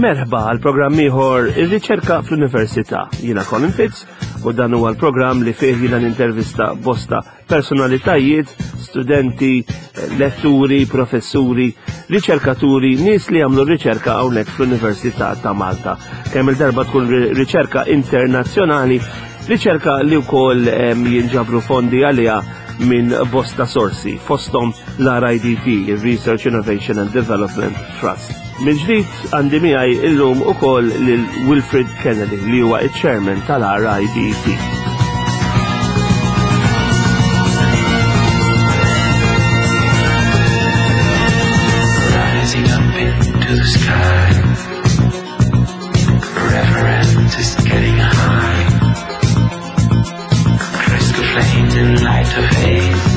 Merħba għal programm ieħor ir-riċerka fl-Università. Jiena Colin Fitz u dan huwa l-programm li fih jiena nintervista bosta personalitajiet, studenti, letturi, professuri, riċerkaturi, nies li jagħmlu riċerka hawnhekk fl-Università ta' Malta. Kemm il-darba tkun riċerka internazzjonali, riċerka li wkoll jinġabru fondi għaliha minn bosta sorsi, fosthom l-RIDT, il-Research Innovation and Development Trust. Minn ġdid għandi miegħi illum ukoll lil Wilfred Kennedy li huwa iċ-chairman tal-RIDT. Rising up into the sky. Reverence is getting high. Crystal flames in light of haze.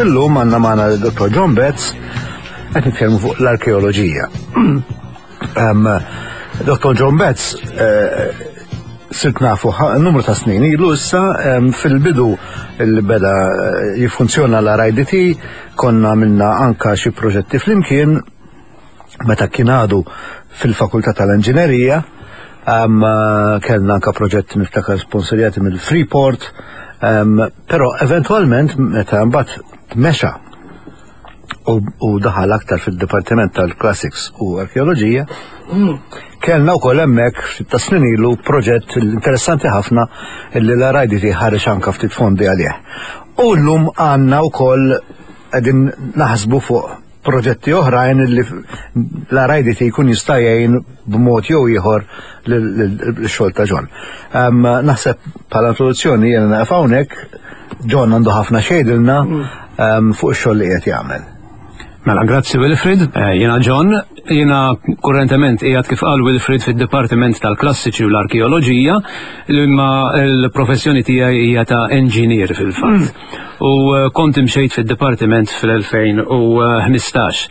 Illum għandna magħna Dr. John Betts qed nitkellmu fuq l-arkeoloġija. Dr. John Betts eh, sirt nafu numru ta' snin ilu issa fil-bidu li beda eh, jiffunzjona l-RIDT konna minna anka xi proġetti flimkien meta kien għadu fil-Fakultà tal-Inġinerija kellna anka proġett niftakar sponsorjati mill-Freeport, però eventwalment meta mbagħad mexa u daħal aktar fil-Dipartiment tal-Classics u Arkeoloġija, kellna wkoll hemmhekk ftit ta' snin ilu proġett interessanti ħafna li l-RIDT ħareġ anka ftit fondi għalih. U llum għandna wkoll qegħdin naħsbu fuq proġetti oħrajn li l-RIDT jkun jista' jgħin b'mod jew ieħor l-xogħol ta' John. Naħseb bħala introduzzjoni jiena naqaf hawnhekk, John għandu ħafna xejdilna mm. fuq ix-xogħol li qed jagħmel. Mela, grazzi Wilfrid, eh, jiena John, jiena kurrentement qiegħed kif qal Wilfrid fid-Dipartiment tal-Klassiċi u l-Arkeoloġija, imma l-professjoni tiegħi hija ta' engineer fil-fatt. Mm. U eh, kont imxejt fid-dipartiment fl-2015.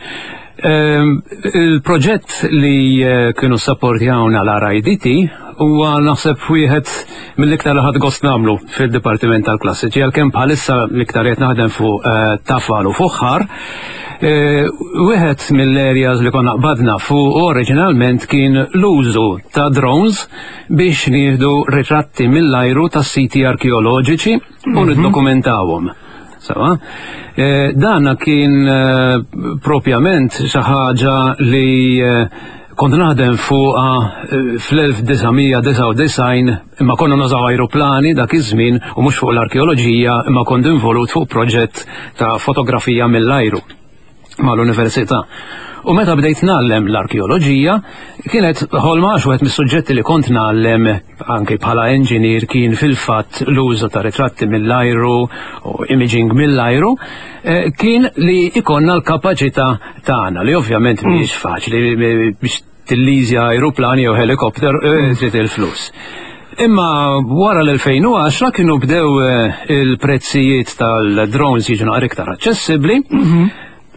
Ehm, il-proġett li eh, kienu sapportjawna l-RIDT huwa naħseb wieħed mill-iktar li ħadd gost nagħmlu fid-Dipartiment tal-Klassiċi għalkemm bħalissa l-iktar qed naħdem fuq eh, tafal u fuħħar. Eh, wieħed mill-areas li konna qbadna fuq oriġinalment kien l-użu ta' drones biex nieħdu ritratti mill-ajru ta' siti arkeoloġiċi u mhm. niddokumentawhom. Sawa? Eh, dana kien eh, propjament xi ħaġa li eh, kont naħdem fuqha fl-1999 imma konna nużaw ajruplani dak iż-żmien u mhux fuq l-arkeoloġija imma kont involut fuq proġett ta' fotografija mill-ajru mal-università. U meta bdejt ngħallem l-arkeoloġija, kienet ħolma għax wieħed mis-suġġetti li kont ngħallem anke bħala engineer kien fil-fatt l-użu ta' ritratti mill-ajru u imaging mill-ajru, eh, kien li ikonna l-kapaċità tagħna li ovvjament mm. mhijiex faċli biex tilliżja ajruplan jew helikopter eh, mm. trid il-flus. Imma wara l-2010 kienu bdew eh, il-prezzijiet tal-drones jiġu naqra iktar aċċessibbli. Mhm.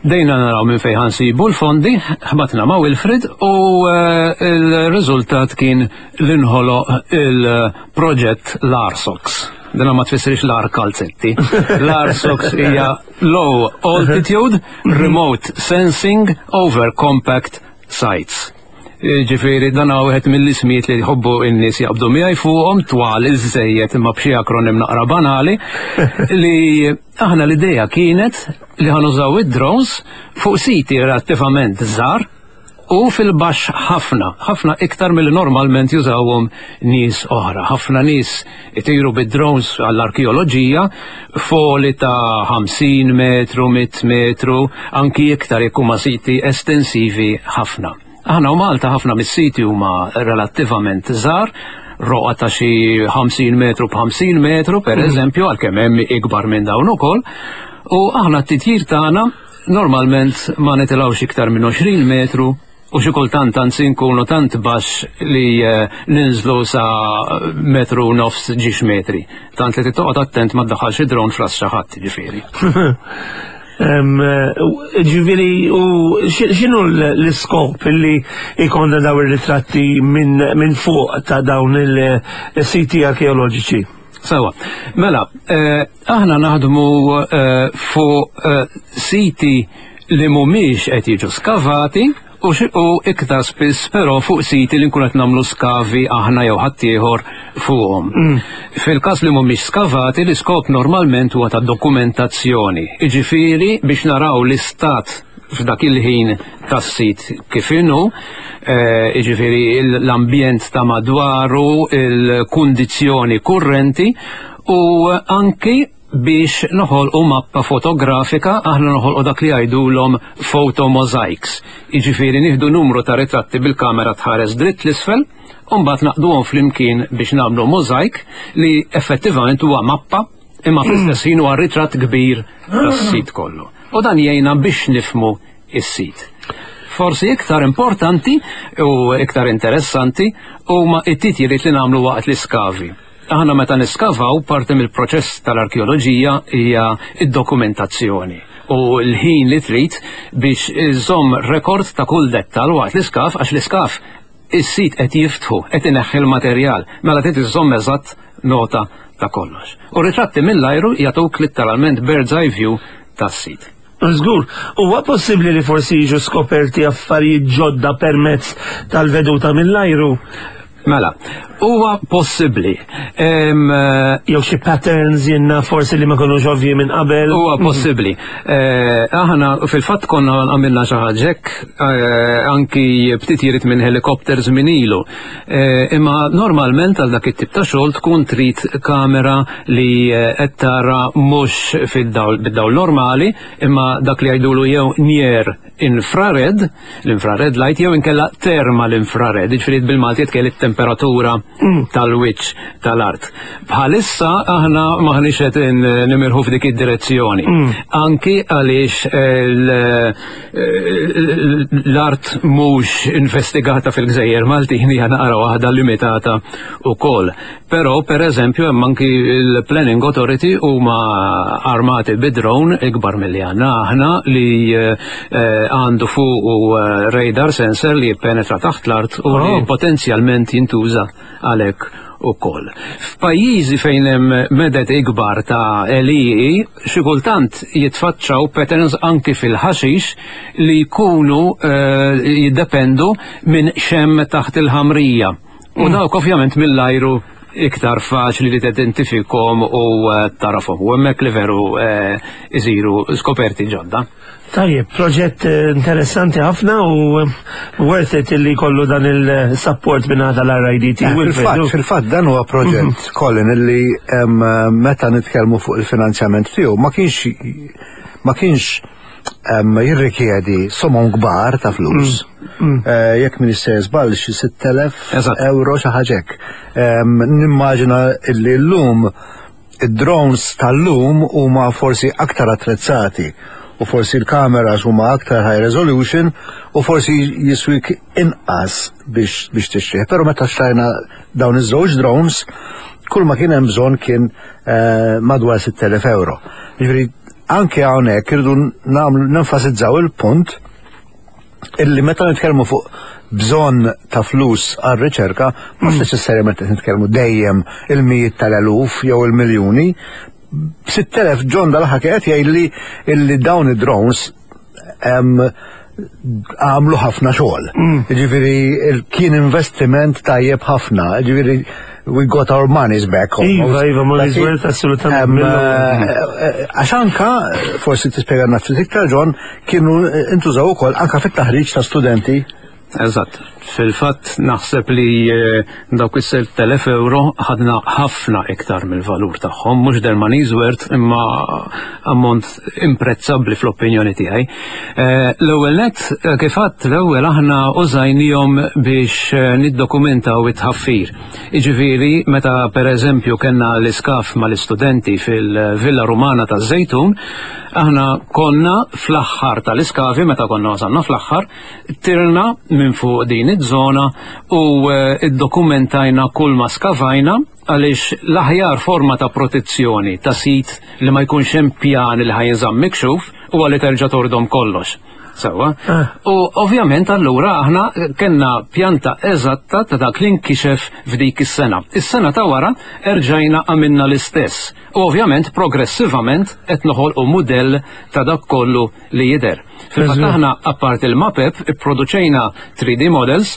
Dejna naraw minn fejn ħansibu l-fondi, ħbatna ma' Wilfred u eh, il-riżultat kien l-inħoloq il-proġett l-Arsox. Dina ma tfissirx l-ar kalzetti. L-Arsox hija Low Altitude Remote Sensing Over Compact Sites. Ġifieri dan huwa wieħed mill-ismijiet li jħobbu n-nies jaqbdu miegħi fuqhom twal iżżejjed imma b'xi akronim naqra banali li aħna l-idea kienet li ħanużaw id-drones fuq siti relattivament żgħar u fil-baxx ħafna, ħafna iktar milli normalment jużawhom nies oħra. Ħafna nies itiru bid-drones għall-arkeoloġija foli ta' 50 metru, 100 metru, anki iktar jekk huma siti estensivi ħafna. Aħna u Malta ħafna mis-siti huma relattivament żgħar, roqa ta' xi 50 metru b'50 metru, per mm. eżempju, għalkemm hemm ikbar minn dawn ukoll, u aħna t-titjir tagħna Normalment ma nitilgħux iktar minn 20 metru u xi kultant anzi nkunu tant baxx li eh, ninżlu sa metru u nofs ġiex metri. Tant li titoqgħod attent ma ddaħħalx id-drone f'ras xi ħadd, ġifieri. Eh, ġifieri, u x'inhu l-iskop illi jkollna daw ir-ritratti minn fuq ta' dawn il-siti arkeoloġiċi? Sewa. Mela, eh, aħna naħdmu eh, fuq eh, siti li mhumiex qed jiġu skavati u u iktar spiss però fuq siti li nkun qed nagħmlu skavi aħna jew ħaddieħor fuqhom. Mm. Fil-każ li mhumiex skavati, l-iskop normalment huwa ta' dokumentazzjoni. Jiġifieri biex naraw l-istat f'dak il-ħin tas-sit kif inhu, eh, jiġifieri l-ambjent ta' madwaru, il-kundizzjoni kurrenti u anki biex noħolqu mappa fotografika, aħna noħolqu dak li jgħidulhom photomosaics. Jiġifieri nieħdu numru ta' ritratti bil-kamera tħares dritt l-isfel, u mbagħad naqduhom flimkien biex nagħmlu mosaic li effettivament huwa mappa imma fl-istess ħin huwa ritratt kbir tas-sit kollu. U dan jgħinna biex nifmu is-sit. Forsi iktar importanti u iktar interessanti huma it-titjiriet li nagħmlu waqt l-iskavi. Aħna meta niskavaw parti mill-proċess tal-arkeoloġija hija id-dokumentazzjoni u l-ħin li trid biex iżomm rekord ta' kull dettal waqt l-iskaf għax l-iskaf is-sit qed jiftħu, qed ineħħi l-materjal, mela trid iżżomm eżatt nota ta' kollox. U ritratti mill-ajru jagħtuk litteralment bird's eye view tas-sit. Żgur, huwa possibbli li forsi jiġu skoperti affarijiet ġodda permezz tal-veduta mill-ajru? Mela, huwa possibbli. Eh, jew xi patterns jenna forsi li ma konux ovvji minn qabel. Huwa mhm. possibbli. Eh, aħna fil-fatt konna għamilna xi ħaġa eh, anki b'titjiriet minn helikopters minn ilu. Imma normalment għal dak it-tip ta' xogħol tkun trid kamera li qed tara mhux fid-dawl bid-dawl normali, imma dak li jgħidulu jew near infrared, l-infrared light, jew inkella thermal infrared, jiġifieri bil-Malti jitkell it-temperatura mm. tal-wiċċ tal-art. Bħalissa aħna maħniex qed nimirħu f'dik id-direzzjoni. Mm. Anki għaliex eh, l-art mhux investigata fil-Gżejjer Maltin hija naqra waħda limitata wkoll. Però, per eżempju, hemm anki l-Planning Authority huma armati bi drone ikbar milli għandna aħna li eh, għandu fuq u eh, radar sensor li jippenetra taħt l-art u li oh. potenzjalment jintuża għalhekk ukoll. F'pajjiżi fejn hemm medet ikbar ta' għelieqi, xi kultant jitfaċċaw patterns anki fil-ħaxix li jkunu eh, jiddependu minn xem taħt il-ħamrija. U mm. dawk ovvjament mill-ajru iktar faċli li tidentifikhom u eh, tarafhom. U hemmhekk li veru eh, isiru skoperti ġodda. Tajjeb, proġett eh, interessanti ħafna u worth it li kollu dan il-support minn għada l-RIDT. Fil-fatt, fil-fatt dan huwa proġett, mhm. Colin, illi meta nitkellmu fuq il-finanzjament tiegħu ma kienx ma kienx jirrikjedi somom kbar ta' flus. Mm, mm. Eh, jekk min se żball xi 6000 euro xi ħaġa hekk. Nimmaġina li llum id-drones tal-lum huma forsi aktar attrezzati u forsi l-kameras huma aktar high resolution u forsi jiswik inqas biex biex tixtrih. Però meta xtrajna dawn iż-żewġ drones, kull ma kien hemm bżonn kien eh, madwar 6000 euro. Jiġifieri Anke hawnhekk irridu nagħmlu nenfasizzaw il-punt illi meta nitkellmu fuq bżonn ta' flus għal riċerka, mhux mm. neċessarjament qed nitkellmu dejjem il-mijiet tal-eluf jew il-miljuni. 6000 John dal-ħa qed jgħidli illi dawn id-drones għamlu ħafna xogħol. Mm. Ġifieri kien investiment tajjeb ħafna, ġifieri we got our monies back. Iva, iva, money's worth assolutament. Eh, eh, għax anka, forsi tispjega ftit iktar John, kienu intużaw ukoll anka fit-taħriġ ta' studenti. Eżatt. Fil-fatt naħseb li eh, dawk is-6,000 euro ħadna ħafna iktar mill-valur tagħhom, mhux their money's worth imma ammont imprezzabbli fl-opinjoni tiegħi. Eh, l-ewwel nett eh, kif għadt l-ewwel aħna użajnihom biex niddokumentaw it-tħaffir. Jiġifieri meta pereżempju kellna l-iskaf mal-istudenti fil-Villa Rumana taż-Żejtun, aħna konna fl-aħħar tal-iskavi meta konna wasalna fl-aħħar Tirna minn fuq din iż-żona u eh, iddokumentajna kull ma skavajna għaliex l-aħjar forma ta' protezzjoni ta' sit li ma jkunx hemm pjan li ħajinżamm mikxuf huwa li terġa' tordom kollox. Sewwa. U ovvjament allura aħna kellna pjanta eżatta ta' dak li nkixef f'dik is-sena. Is-sena ta' wara erġajna għamilna l-istess. U ovvjament progressivament qed noħolqu mudell ta' dak kollu li jidher. Fil-fatt aħna apparti il-mapep ipproduċejna 3D models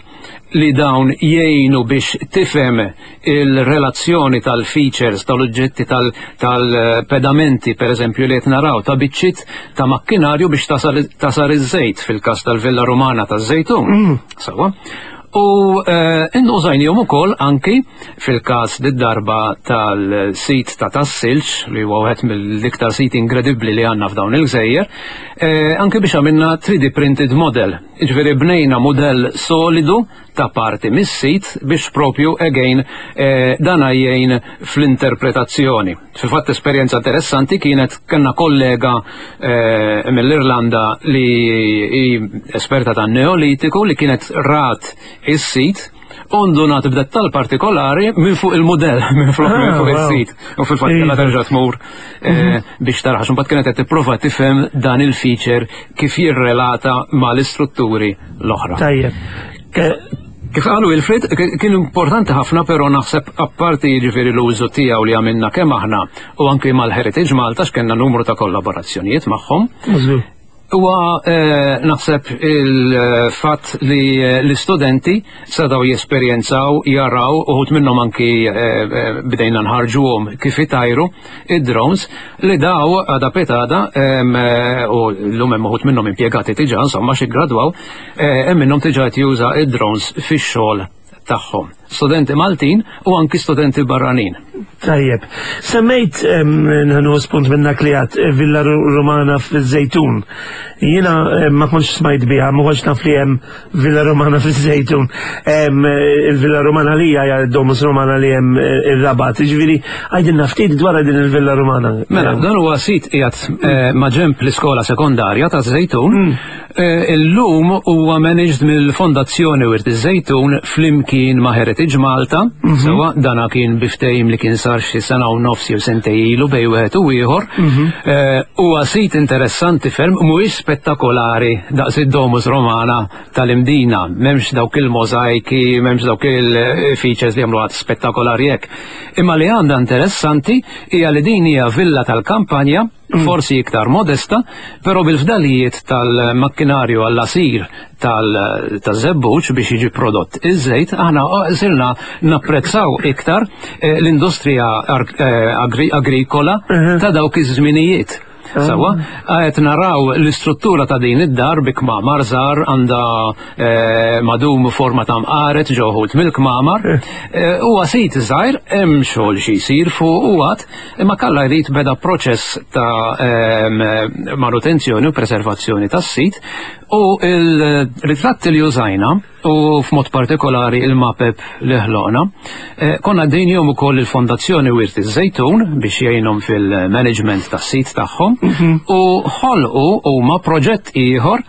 li dawn jgħinu biex tifhem il-relazzjoni tal-features, tal-oġġetti tal-pedamenti, per eżempju, li qed naraw ta' biċċiet ta' makkinarju biex tasar iż-żejt fil-każ tal-Villa Romana taż-Żejtun. Sewwa. U eh, użajnihom ukoll anki fil-każ darba tal-sit ta' Tas-Silġ li huwa wieħed mill-iktar sit inkredibbli li għandna f'dawn il-gżejjer, eh, anki biex għamilna 3D printed model. Jiġifieri bnejna mudell solidu ta' parti mis-sit biex propju again eh, dan jgħin fl-interpretazzjoni. Fil-fatt esperjenza interessanti kienet kellna kollega eh, mill-Irlanda li hi esperta tan neolitiku li kienet rat is-sit u ndunat b'dettall partikolari minn fuq il-mudell, minn fuq ah, minn fuq is-sit. U fil-fatt kellha iva. terġa' tmur eh, biex taraħ, mbagħad kienet qed tipprova tifhem dan il-feature kif jirrelata mal-istrutturi l-oħra. Tajjeb. Kif qalu Wilfrid, kien importanti ħafna però naħseb apparti jiġifieri l-użu tiegħu li għamilna kemm aħna u anki mal-Heritage Malta x'kellna numru ta' kollaborazzjonijiet magħhom. Huwa eh, naħseb il-fatt li eh, l-istudenti setgħu jesperjenzaw, jaraw, uħud minnhom anki eh, bdejna nħarġuhom kif itajru id-drones li daw għada petada u l-lum hemm uħud minnhom impjegati diġà insomma xi gradwaw hemm minnhom diġà qed juża id-drones fix-xogħol tagħhom. Studenti Maltin u anki studenti barranin. Tajjeb. Semmejt nħanu spunt minnak li għat eh, Villa Romana fil-Zejtun. Jiena ma kontx smajt biha, ma kontx naf li hemm Villa Romana fil-Zejtun. Eh, il-Villa Romana li hija Domus Romana li hemm eh, ir-Rabat. Jiġifieri għajdilna ftit dwar din il-Villa Romana. Mela, dan huwa sit qiegħed ma' ġenb l-iskola sekondarja ta' Zejtun. Illum huwa managed mill-Fondazzjoni Wirt iż-Żejtun flimkien ma' Heritage Malta, mhm. sewwa dana kien bi ftehim li kien sar xi sena u nofs jew sentej ilu bejn wieħed u ieħor. Mhm. Huwa sit interessanti ferm, mhuwiex spettakolari daqs id-Domus Romana tal-Imdina, m'hemmx dawk il-możajki, m'hemmx dawk il-features li jagħmlu spettakolari hekk. Imma li għandha interessanti hija li din hija villa tal-kampanja forsi iktar modesta, però bil-fdalijiet tal-makkinarju għall-għasir tal-żebbuġ biex jiġi prodott iż-żejt, aħna sirna napprezzaw iktar eh, l-industrija eh, agrikola ta' dawk iż-żminijiet. Sawa, qed naraw l-istruttura ta' din id-dar bi kmamar żgħar għandha eh, madum forma ta' mqaret ġoħut mill-kmamar. Huwa sit żgħir hemm xogħol xi jsir fuq u għad Imma kalla jrid beda proċess ta' ehm, manutenzjoni u preservazzjoni tas-sit u il-ritratti li użajna u f'mod partikolari il-mapep li ħloqna, eh, konna dejnihom ukoll il-Fondazzjoni Wirt iż-Żejtun biex jgħinhom fil-management tas-sit tagħhom mhm. u ħolqu huma proġett ieħor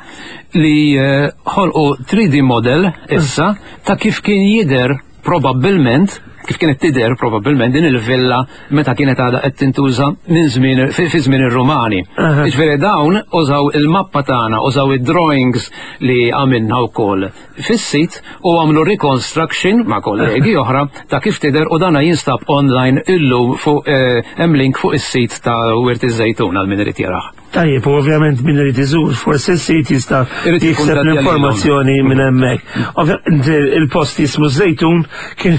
li eh, ħolqu 3D model issa ta' kif kien jidher Probabbilment, kif kienet tidher probabbilment din il-villa meta kienet għadha qed tintuża minn żmien fi żmien ir-Rumani. Jiġifieri dawn użaw il-mappa tagħna, użaw id-drawings li għamilna wkoll fis-sit u għamlu reconstruction ma' kollegi oħra ta' kif tidher u dana jinstab online illum fuq eh, hemm link fuq is-sit ta' Wirt iż-Żejtun għal min irid jarah. Tajjeb, u ovvjament min irid iżur, forsi s-sit jista' jikseb l-informazzjoni minn hemmhekk. Ovvjament il-post jismu żejtun kien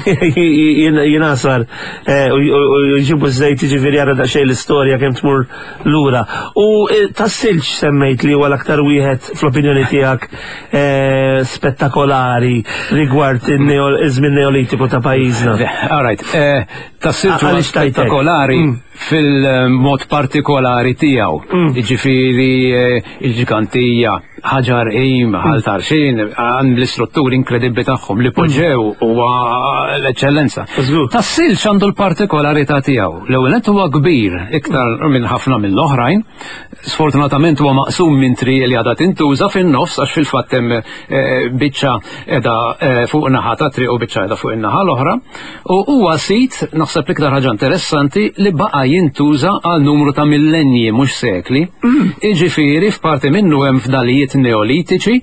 jingħasar eh, u jġibu żejt jiġifieri jara daqsxejn l-istorja kemm tmur lura. U eh, tas-silġ semmejt li huwa l-aktar wieħed fl-opinjoni tiegħek eh, spettakolari rigward iż-żmien Neolitiku ta' pajjiżna. All right, tas-silġ huwa spettakolari. Mm. fil-mod partikolari tiegħu. Mm. Jiġifieri eh, il-ġgantija, ħaġar qim, mm. ħal tarxin, għand l-istrutturi inkredibbli tagħhom li poġġew mm. huwa l-eċċellenza. Tas-silġ għandu l-partikolarità tiegħu. L-ewwel nett huwa kbir iktar minn ħafna mill-oħrajn. Sfortunatament huwa maqsum minn triq li għadha tintuża fin-nofs għax fil-fatt hemm eh, biċċa qiegħda eh, fuq naħa ta' triq u biċċa qiegħda fuq in-naħa l-oħra. U huwa sit, naħseb l-iktar ħaġa interessanti, li baqa' jintuża għal numru ta' millenji mhux sekli. Jiġifieri f'parti minnu hemm fdalijiet neolitiċi,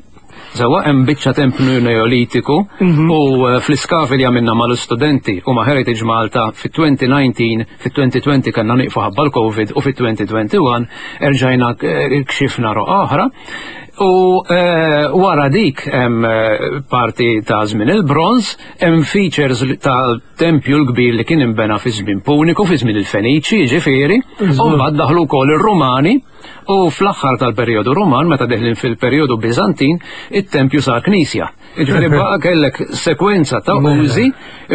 Sewwa hemm biċċa tempju neolitiku u fl-iskavi li għamilna mal-istudenti u ma' Heritage Malta fit-2019, fit-2020 kellna nieqfu ħabba l-Covid u fit-2021 erġajna kxifna roqgħa oħra. U wara dik hemm parti ta' żmien il-bronż, hemm features ta' tempju l-kbir li kien inbena fi żmien Puniku, fi żmien il-Feniċi, jiġifieri, u mbagħad daħlu wkoll ir-Rumani u fl-aħħar tal-perjodu Ruman, meta deħlin fil-perjodu Biżantin, it-tempju sar knisja. Jiġifieri baqa' kellek sekwenza ta' użi,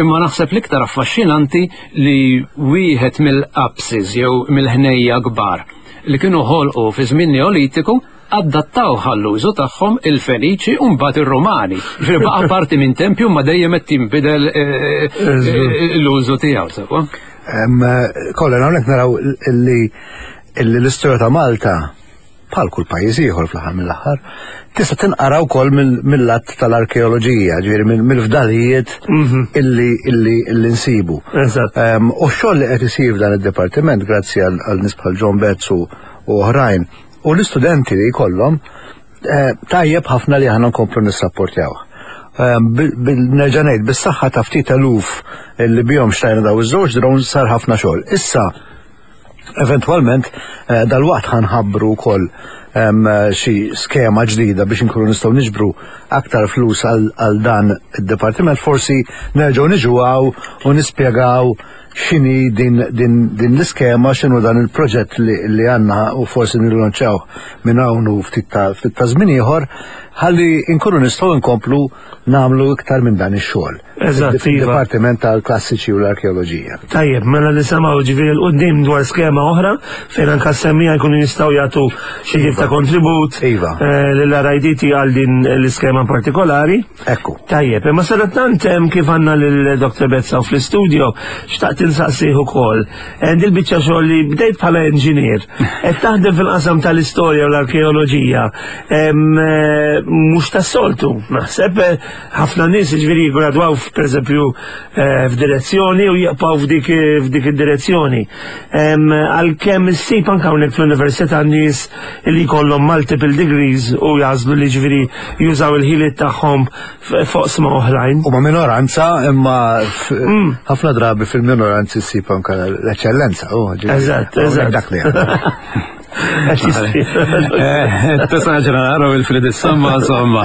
imma naħseb l-iktar affaxxinanti li wieħed mill-apses jew mill-ħnejja kbar li kienu ħolqu fi żmien Neolitiku adattaw għall-użu tagħhom il-Feniċi u mbagħad ir-Rumani. Ġifieri baqa' parti minn tempju ma dejjem qed tinbidel l-użu tiegħu sewwa. Kollha hawnhekk naraw li l-istorja ta' Malta bħal kull pajjiż ieħor fl-aħħar mill-aħħar, tista' tinqara wkoll mill-att tal-arkeoloġija, ġifieri mill-fdalijiet illi nsibu. U x-xogħol li qed isir f'dan id-dipartiment grazzi għal nies bħal John Betts u oħrajn u l-istudenti li jkollhom tajjeb ħafna li aħna nkomplu nissapportjawh. Nerġa' ngħid bis-saħħa ta' ftit eluf li bihom xtrajna daw iż-żewġ drones sar ħafna xogħol. Issa eventwalment dalwaqt ħanħabbru wkoll xi skema ġdida biex inkunu nistgħu niġbru aktar flus għal dan id-dipartiment, forsi nerġgħu niġu hawn u nispjegaw x'inhi din, din, din l-iskema, x'inhu dan il-proġett li, li għandna u forsi nillanċaw minn hawn u ftit ta' ftit ta' żmien ieħor ħalli nkunu nistgħu nkomplu nagħmlu iktar minn dan ix-xogħol. Eżatt, iva. Fid-Dipartiment tal-Klassiċi u l-Arkeoloġija. Tajjeb, mela nisimgħu ġifieri 'l quddiem dwar skema oħra fejn anke s-semmiegħa jkunu jistgħu jagħtu xi tip ta' kontribut Iva. lill-RIDT għal din l-iskema partikolari. Ekku. Tajjeb, imma sadattant kif għandna lil Dr. Bezza fl-istudio, xtaqt insaqsih ukoll. Dil-biċċa xogħol li bdejt bħala inġinier, qed taħdem fil-qasam tal-istorja u l-arkeoloġija, mhux tas-soltu, naħseb ħafna nies jiġifieri jiggradwaw pereżempju f'direzzjoni u jibqgħu f'dik f'dik id-direzzjoni. Għalkemm issib anke hawnhekk fl-università nies li jkollhom multiple degrees u jagħżlu li ġifieri jużaw il-ħiliet tagħhom f'oqsma oħrajn. Huma minoranza imma ħafna drabi fil-minoranzi ssib anke l-eċċellenza. Eżatt, eżatt. Dak li Tesaġra naraw il-frid is-somma, insomma.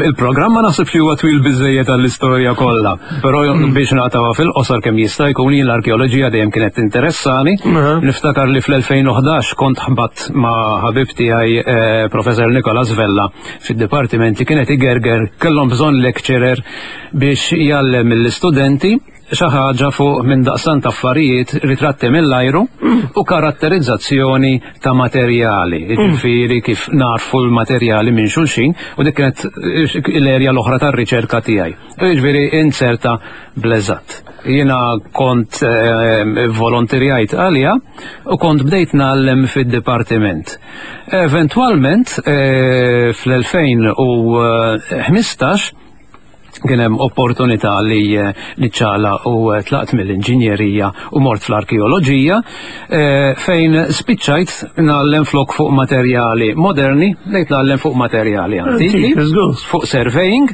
Il-programm ma naħsibx li huwa twil biżejjed għall-istorja kollha, però biex naqtawha fil-qosor kemm jista' jkun jien l-arkeoloġija dejjem kienet tinteressani. Niftakar li fl-2011 kont ħbatt ma' ħabib tiegħi Professor Nicolas Vella fid-dipartiment li kienet igerger kellhom bżonn lecturer biex jgħallem lill-istudenti xi ħaġa fuq minn daqstant affarijiet, ritratti mill-ajru u karatterizzazzjoni ta' materjali, jiġifieri kif narfu l-materjali minn xulxin u dik kienet l-erja l-oħra tar-riċerka tiegħi. Jiġifieri inserta bl-eżatt. Jiena kont volontirjajt għaliha u kont bdejt ngħallem fid-dipartiment. Eventwalment fl-2015 kien hemm opportunità li niċċaqlaq u tlaqt mill-inġinjerija u mort fl-arkeoloġija fejn spiċċajt ngħallem flok fuq materjali moderni, bdejt ngħallem fuq materjali antiki, fuq surveying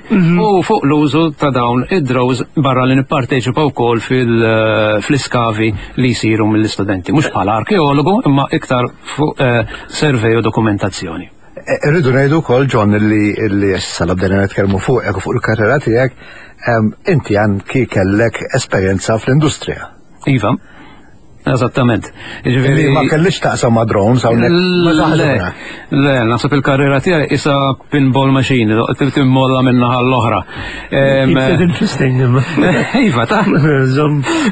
u fuq l-użu ta' dawn id-drones barra li nipparteċipa wkoll fl-iskavi li jsiru mill-istudenti, mhux bħala arkeologu imma iktar fuq survey u dokumentazzjoni. Irridu ngħidu wkoll John li li issa la bdejna nitkellmu fuqek u fuq il-karriera tiegħek, inti anki kellek esperjenza fl-industrija. Iva, eżattament. Jiġifieri ma kellix taqsam ma' drones hawnhekk. Le, le, naħseb il-karriera tiegħi isa pinball machine, timmolla minn naħa l-oħra. Interesting. Iva, ta'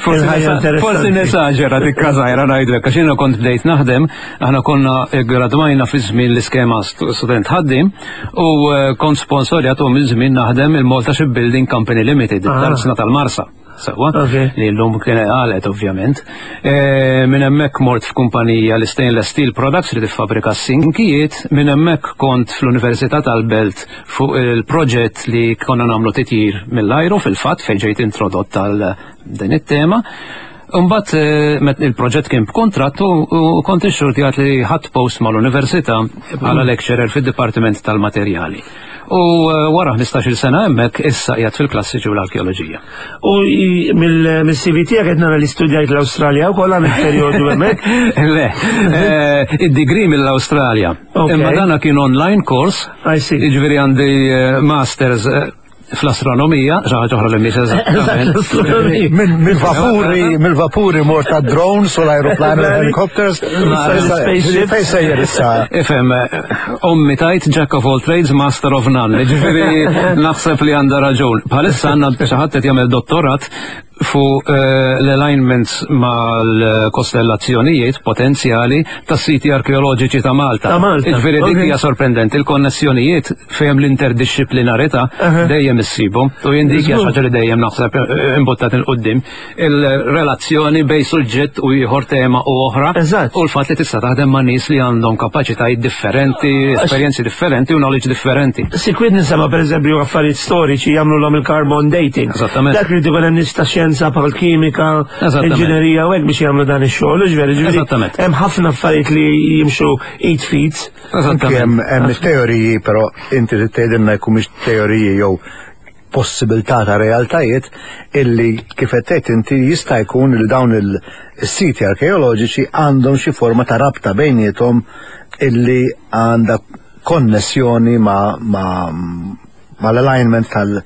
forsi nesaġera dik każajra ngħidlek, għax jiena kont bdejt naħdem. Aħna konna gradwajna fi żmien l-iskema student ħaddim u kont sponsorjat u minn żmien naħdem il-Malta Shipbuilding Company Limited, tarzna tal-Marsa. Sewwa, li llum kien għalet ovvjament. Minn hemmhekk mort f'kumpanija li Stainless Steel Products li tiffabrika s-sinkijiet, minn hemmhekk kont fl-Università tal-Belt fuq il-proġett li konna nagħmlu titjir mill-ajru fil-fatt fejn ġejt introdott għal din it-tema. Imbagħad eh, il-proġett kien b'kuntratt u kont ixxurtjat li ħadd post mal-università bħala lecturer fid-Dipartiment tal-Materjali. U eh, wara 15-il sena hemmhekk issa qiegħed fil-klassiċi u l-arkeoloġija. U mill-CV tiegħek qed nara li studjajt l-Awstralja wkoll għamil perjodu hemmhekk. Le, eh, id-degree mill-Awstralja. Imma dana kien online course. Jiġifieri għandi masters fl-astronomija, xi ħaġa oħra li mhix eżattament. Mill-vapuri, mill-vapuri mort ta' drones u l-aeroplani u helicopters. Fejn sejjer issa? Ifhem, ommi tajt Jack of all trades, master of none. Ġifieri naħseb li għandha raġun. Bħalissa għandna xi ħadd qed jagħmel dottorat fuq eh, l-alignments mal-kostellazzjonijiet potenzjali ta' siti arkeoloġiċi ta' Malta. Ta' Malta. Ġifieri dik hija sorprendenti, il-konnessjonijiet fejn l-interdixxiplinarità dejjem issibhom. U jien dik hija xi li dejjem naħseb eh, imbuttat il qudiem il-relazzjoni bej suġġett u ieħor tema u oħra. U l-fatt li tista' taħdem ma' nies li għandhom kapaċitajiet differenti, esperjenzi differenti u knowledge differenti. Sikwit nisema pereżempju affarijiet storiċi jagħmlu il-carbon dating. Eżattament. Dak li ikun hemm nies ta' xjenza bħal kimika, inġinerija u hekk biex jagħmlu dan ix-xogħol, ġifieri ġifieri. Eżattament. Hemm ħafna affarijiet li jimxu id fit. Eżattament. Hemm teoriji, però inti trid tgħidilna jkun mhix teoriji jew possibilità ta' realtajiet illi kif qed tgħid inti jista' jkun li dawn il-siti arkeoloġiċi għandhom xi forma ta' rabta bejniethom illi għandha konnessjoni ma' mal-alignment tal-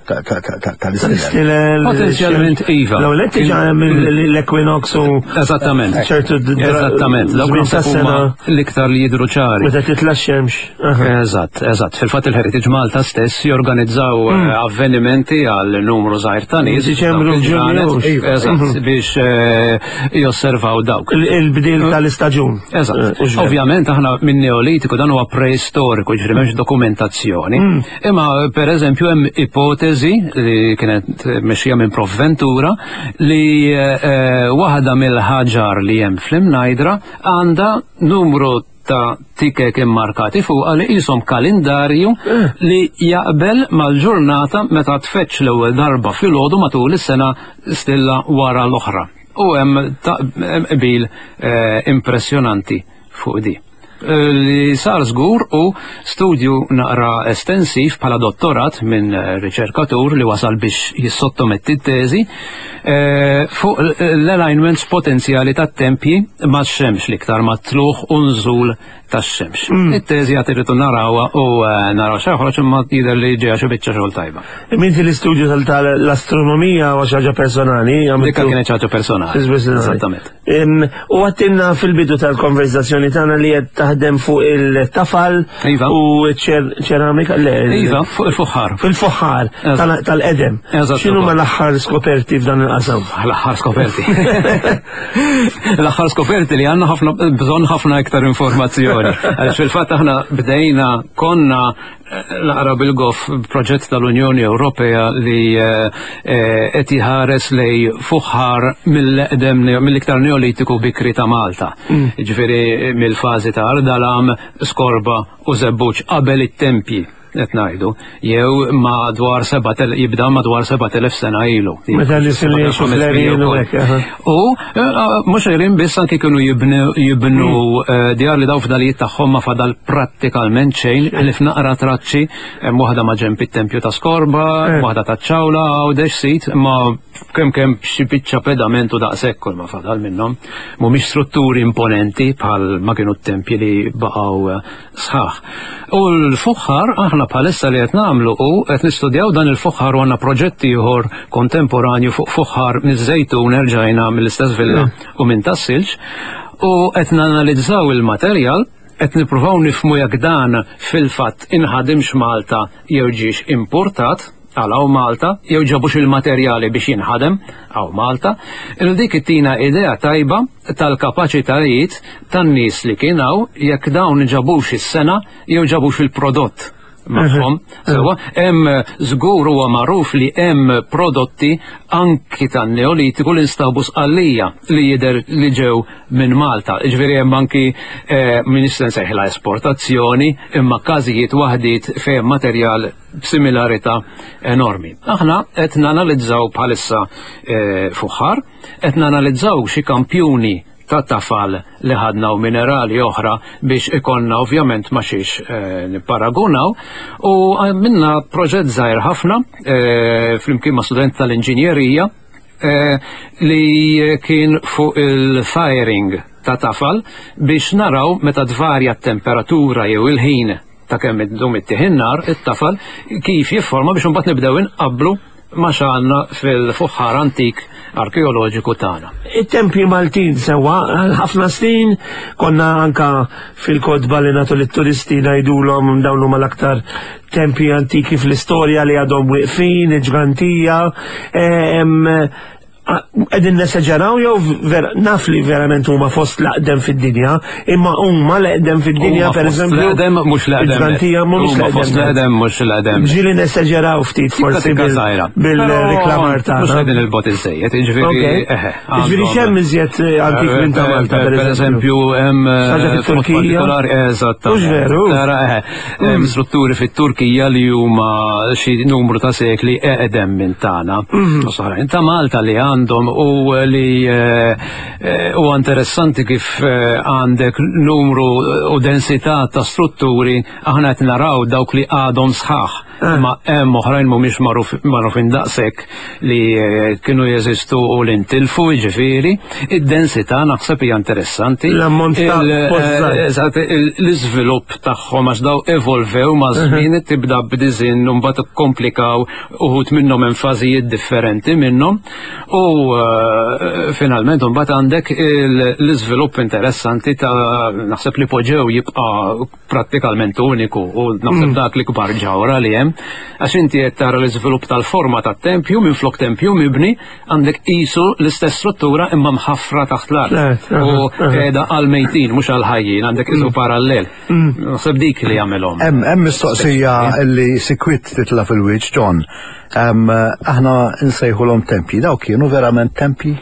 tal-istilel. Potenzjalment iva. L-ewwel qed diġà hemm l-equinox u Eżattament. ċertu Eżattament. Dawk tas-sena l-iktar li jidhru ċari. Meta titla' x-xemx. Eżatt, eżatt. Fil-fatt il-Heritage Malta stess jorganizzaw mm. eh, avvenimenti għal numru żgħir ta' nies. Diċembru ġunju. Iva, eżatt, mhm. biex eh, josservaw dawk. Il-bdil tal-istaġun. Eżatt. Eh, Ovvjament aħna minn Neolitiku dan huwa preistoriku, ġifieri m'hemmx dokumentazzjoni. Mm. Imma per eżempju hemm ipotezi li kienet mexxija minn Prof Ventura li eh, waħda mill-ħaġar li hemm fl-imnajdra għandha numru ta' tikek immarkati fuqha li qishom kalendarju eh. li jaqbel mal-ġurnata meta tfetx l-ewwel darba filgħodu matul is-sena stilla wara l-oħra. U hemm qbil eh, impressjonanti fuq di. Eh, li sar żgur u studju naqra estensiv bħala dottorat minn eh, riċerkatur li wasal biex jissottometti t-teżi eh, fuq l-alignments potenzjali tat-tempji ma' xemx l-iktar ma' tluħ u nżul tax-xemx. Mm. It-teżi għad irridu narawha u naraw xaħroġ imma jidher li ġeja xi biċċa xogħol tajba. Minti l-istudju tal-astronomija u xi ħaġa personali? Dikka kienet ħaġa personali. Eżattament. U għattinna fil-bidu tal-konverzazzjoni tagħna li qed taħdem fuq il-tafal iva. u ċeramika. Iva, fuq il-fuħħar. Fil-fuħħar tal-edem. X'inhu ma l-aħħar skoperti f'dan il-qasam? L-aħħar skoperti. L-aħħar skoperti li għandna ħafna bżonn ħafna iktar informazzjoni. Għaliex fil-fatt aħna bdejna konna Naqra bil-goff proġett tal-Unjoni Ewropea li eh, eh, qed jħares lej fuħħar mill-eqdem mill-iktar neolitiku bikri ta' Malta. Mm. Ġifieri mill-fażi ta' Ardalam, Skorba u Żebbuġ qabel it-tempji qed ngħidu, jew madwar jibda madwar 7000 sena ilu. Meta li U eh, mhux għirin biss anki kienu jibnu hmm. eh, djar li daw fdalijiet tagħhom ma fadal prattikalment xejn li f'naqra traċċi hemm waħda ma' ġemp it-tempju ta' Skorba, eh. waħda ta' ċawla għawdex sit ma kemm kemm xi biċċa pedament u daqshekk kull ma fadal minnhom. Mhumiex strutturi imponenti bħal ma kienu t-tempji li baqgħu sħaħ. U l-fuħħar aħna bħalissa li qed nagħmlu hu qed nistudjaw dan il-fuħħar u għandna proġett ieħor kontemporanju fuq fuħħar miż-Żejtun erġajna mill-istess villa mm. u minn tas-silġ u qed nanalizzaw il-materjal qed nippruvaw nifhmu jekk dan fil-fatt inħadimx Malta jew ġiex importat għal hawn Malta jew ġabux il-materjali biex jinħadem hawn Malta, il dik ittina idea tajba tal-kapaċitajiet tan-nies li kien hawn jekk dawn ġabux is-sena jew ġabux il-prodott. magħhom. Sewwa, hemm żgur huwa magħruf li hemm prodotti anki tan-Neolitiku li nstabu Sqallija li jidher li ġew minn Malta. Jiġifieri hemm anki eh, m'iniex se nsejħilha esportazzjoni, imma każijiet waħdiet fejn materjal b'similarità enormi. Aħna qed nanalizzaw bħalissa eh, fuħħar, qed nanalizzaw xi kampjuni ta' tafal li ħadna u minerali oħra biex ikollna ovvjament ma xiex eh, nipparagunaw u minna proġett żgħir ħafna eh, flimkien ma' student tal-inġinjerija eh, li kien fuq il-firing ta' tafal biex naraw meta tvarja t-temperatura jew il-ħin ta' kemm iddum ittieħ in-nar, it-tafal, kif jifforma biex imbagħad nibdew inqabblu ma' x'għandna fil-fuħħar antik arkeoloġiku tagħna. It-tempji Maltin sewwa għal ħafna snin konna anka fil-kotba li nagħtu lit-turisti ngħidulhom dawn huma l-aktar tempji antiki fl-istorja li għadhom wieqfin, il-ġgantija, eh, Qegħdin nesaġeraw jew naf li verament huma fost l-aqdem fid-dinja, imma huma l-eqdem fid-dinja pereżempju. L-eqdem mhux l-eqdem. Il-ġgantija mhux l-eqdem. Fost l-eqdem mhux l-eqdem. Ġieli nesaġeraw ftit forsi bil-reklamar tagħna. Mhux qegħdin il-bot iżejjed, jiġifieri. Jiġifieri x'hemm iżjed eh, antik minn ta' Malta eh, pereżempju hemm eh, ħaġa fit-Turkija. Eżatt. Mhux veru. Tara eħe. Hemm mm. strutturi fit-Turkija li huma xi numru ta' sekli eqdem minn tagħna. Mm. Oħrajn ta' Malta li għandhom u li eh, eh, huwa interessanti kif eh, għandek numru u densità ta' strutturi aħna qed naraw dawk li għadhom sħaħ. Ma hemm oħrajn mhumiex magħrufin daqshekk li kienu jeżistu u li ntilfu, jiġifieri, id-densità naħseb hija interessanti. L-ammont ta' Eżatt, l-iżvilupp tagħhom għax daw evolvew ma' żmien tibda b'diżinn u mbagħad ikkomplikaw uħud minnhom hemm fażijiet differenti minnhom u finalment mbagħad għandek l-iżvilupp interessanti ta' naħseb li poġew jibqa' prattikalment uniku u naħseb mm. dak l-ikbar ġawra li hemm għax inti qed tara l-iżvilupp tal-forma tat-tempju minflok tempju mibni għandek qisu l-istess struttura imma mħaffra taħt l-art. U qiegħda għal mejtin mhux għal ħajjin għandek isu mm. parallel. Mm. Naħseb dik li jagħmilhom. Hemm mistoqsija li sikwit titla' fil-wiċċ John. Aħna nsejħulhom tempji, dawk kienu verament tempji?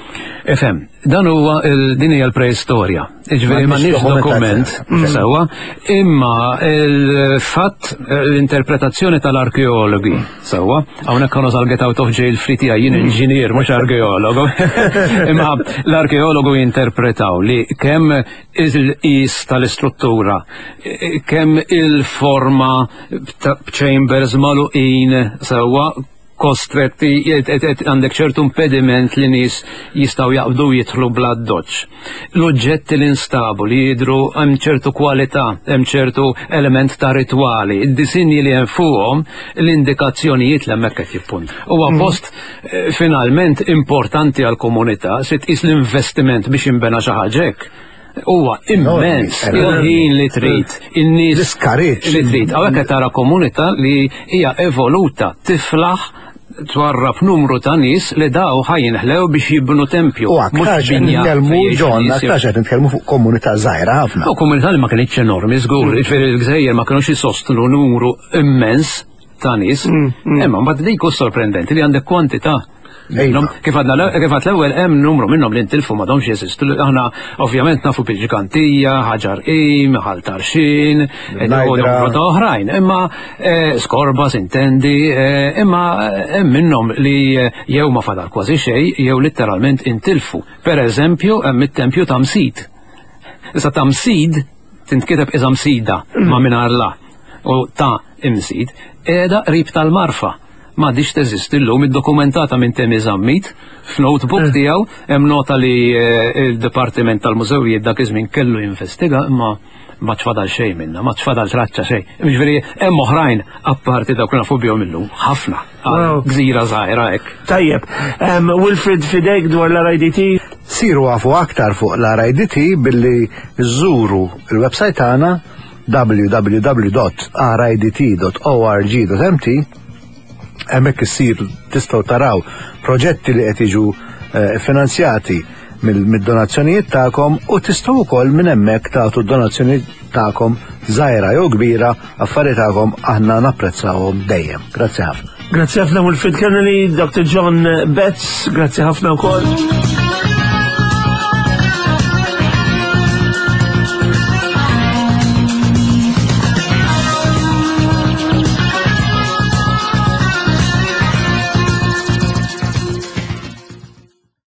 Ifhem, dan huwa din hija l-preistorja. Ġifieri m'għandniex dokument mm. sewwa, imma il-fatt l-interpretazzjoni tal-arkeologi sewwa, hawnhekk konu sal-get out of jail free tiegħi jien mm. inġinier mhux arkeologu. Imma l-arkeologu jinterpretaw li kemm il-qis tal-istruttura, kemm il-forma b'chambers magħluqin sewwa kostretti għandek ċertu impediment li nies jistgħu jaqbdu jidħlu bla doċ. L-oġġetti li nstabu li jidhru hemm ċertu kwalità, hemm ċertu element ta' ritwali, id-disinji li hemm fuqhom l-indikazzjonijiet li hemmhekk qed jippunt. Huwa mm. post eh, finalment importanti għall-komunità se tqis l-investiment biex jinbena xi ħaġa hekk huwa immens il-ħin li trid, in-nies l-iskariġġ li trid. Hawnhekk qed tara komunità li hija evoluta tiflaħ twarrab numru ta' nies li daw ħajinħlew biex jibnu tempju. U aktarx qed nitkellmu John, aktarx qed nitkellmu fuq komunità żgħira ħafna. U komunità li ma kinitx enormi, żgur, mm. jiġifieri l-gżejjer ma kinux jisostnu numru immens ta' nies. Mm, mm. Imma mbagħad dik hu sorprendenti li għandek kwantità Kif għadna kif għad l-ewwel hemm numru minnhom li ntilfu m'għadhomx jeżistu. Aħna ovvjament nafu bil-ġgantija, ħaġar qim, ħal tarxin, numru ta' oħrajn. Imma eh, skorba sintendi, eh, imma eh, hemm minnhom li jew ma fadal kważi xejn jew litteralment intilfu. Per eżempju, hemm it-tempju ta' Msid. Issa ta' Msid tintkiteb iża Msida ma mingħajr la u ta' Imsid qiegħda qrib tal-Marfa m'għadhiex teżisti llum, iddokumentata minn Temi Zammit f'notebook eh. tiegħu, hemm nota li eh, il-Dipartiment tal-Mużewijiet dak iż-żmien kellu jinvestiga imma ma tfadal xejn minna, ma tfadal traċċa xejn. Jiġifieri hemm oħrajn apparti dawk li nafu bihom illum, ħafna. Gżira żgħira hekk. Tajjeb, Wilfred fidejk dwar l-RIDT? Siru għafu aktar fuq l-RIDT billi żżuru il-website tagħna www.ridt.org.mt hemmhekk issir tistgħu taraw proġetti li qed jiġu eh, finanzjati mid-donazzjonijiet tagħkom u tistgħu wkoll minn hemmhekk tagħtu d-donazzjoni tagħkom żgħira jew kbira, affari tagħkom aħna napprezzawhom dejjem. Grazzi ħafna. Grazzi ħafna Wilfred Kennedy, Dr. John Betts, grazzi ħafna wkoll.